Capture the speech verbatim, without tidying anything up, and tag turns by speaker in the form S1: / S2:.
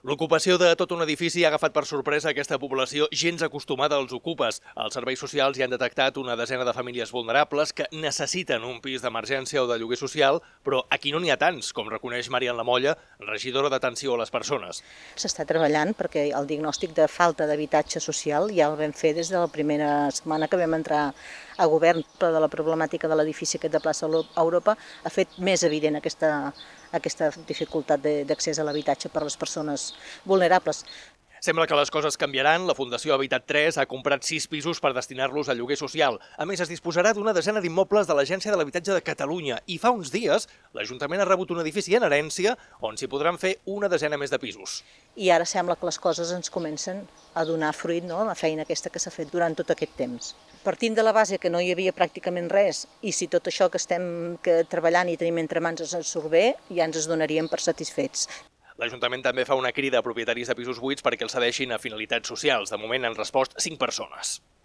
S1: L'ocupació de tot un edifici ha agafat per sorpresa aquesta població gens acostumada als ocupes. Els serveis socials hi han detectat una desena de famílies vulnerables que necessiten un pis d'emergència o de lloguer social, però aquí no n'hi ha tants, com reconeix Marian Lamolla, regidora d'atenció a les persones.
S2: S'està treballant perquè el diagnòstic de falta d'habitatge social ja el vam fer des de la primera setmana que vam entrar a govern, però de la problemàtica de l'edifici aquest de plaça Europa ha fet més evident aquesta, aquesta dificultat d'accés a l'habitatge per a les persones vulnerables.
S1: Sembla que les coses canviaran. La Fundació Habitat tres ha comprat sis pisos per destinar-los a lloguer social. A més, es disposarà d'una desena d'immobles de l'Agència de l'Habitatge de Catalunya i fa uns dies l'Ajuntament ha rebut un edifici en herència on s'hi podran fer una desena més de pisos.
S2: I ara sembla que les coses ens comencen a donar fruit, no?, la feina aquesta que s'ha fet durant tot aquest temps. Partint de la base que no hi havia pràcticament res, i si tot això que estem que treballant i tenim entre mans ens surt bé, ja ens es donaríem per satisfets.
S1: L'Ajuntament també fa una crida a propietaris de pisos buits perquè els cedeixin a finalitats socials. De moment han respost cinc persones.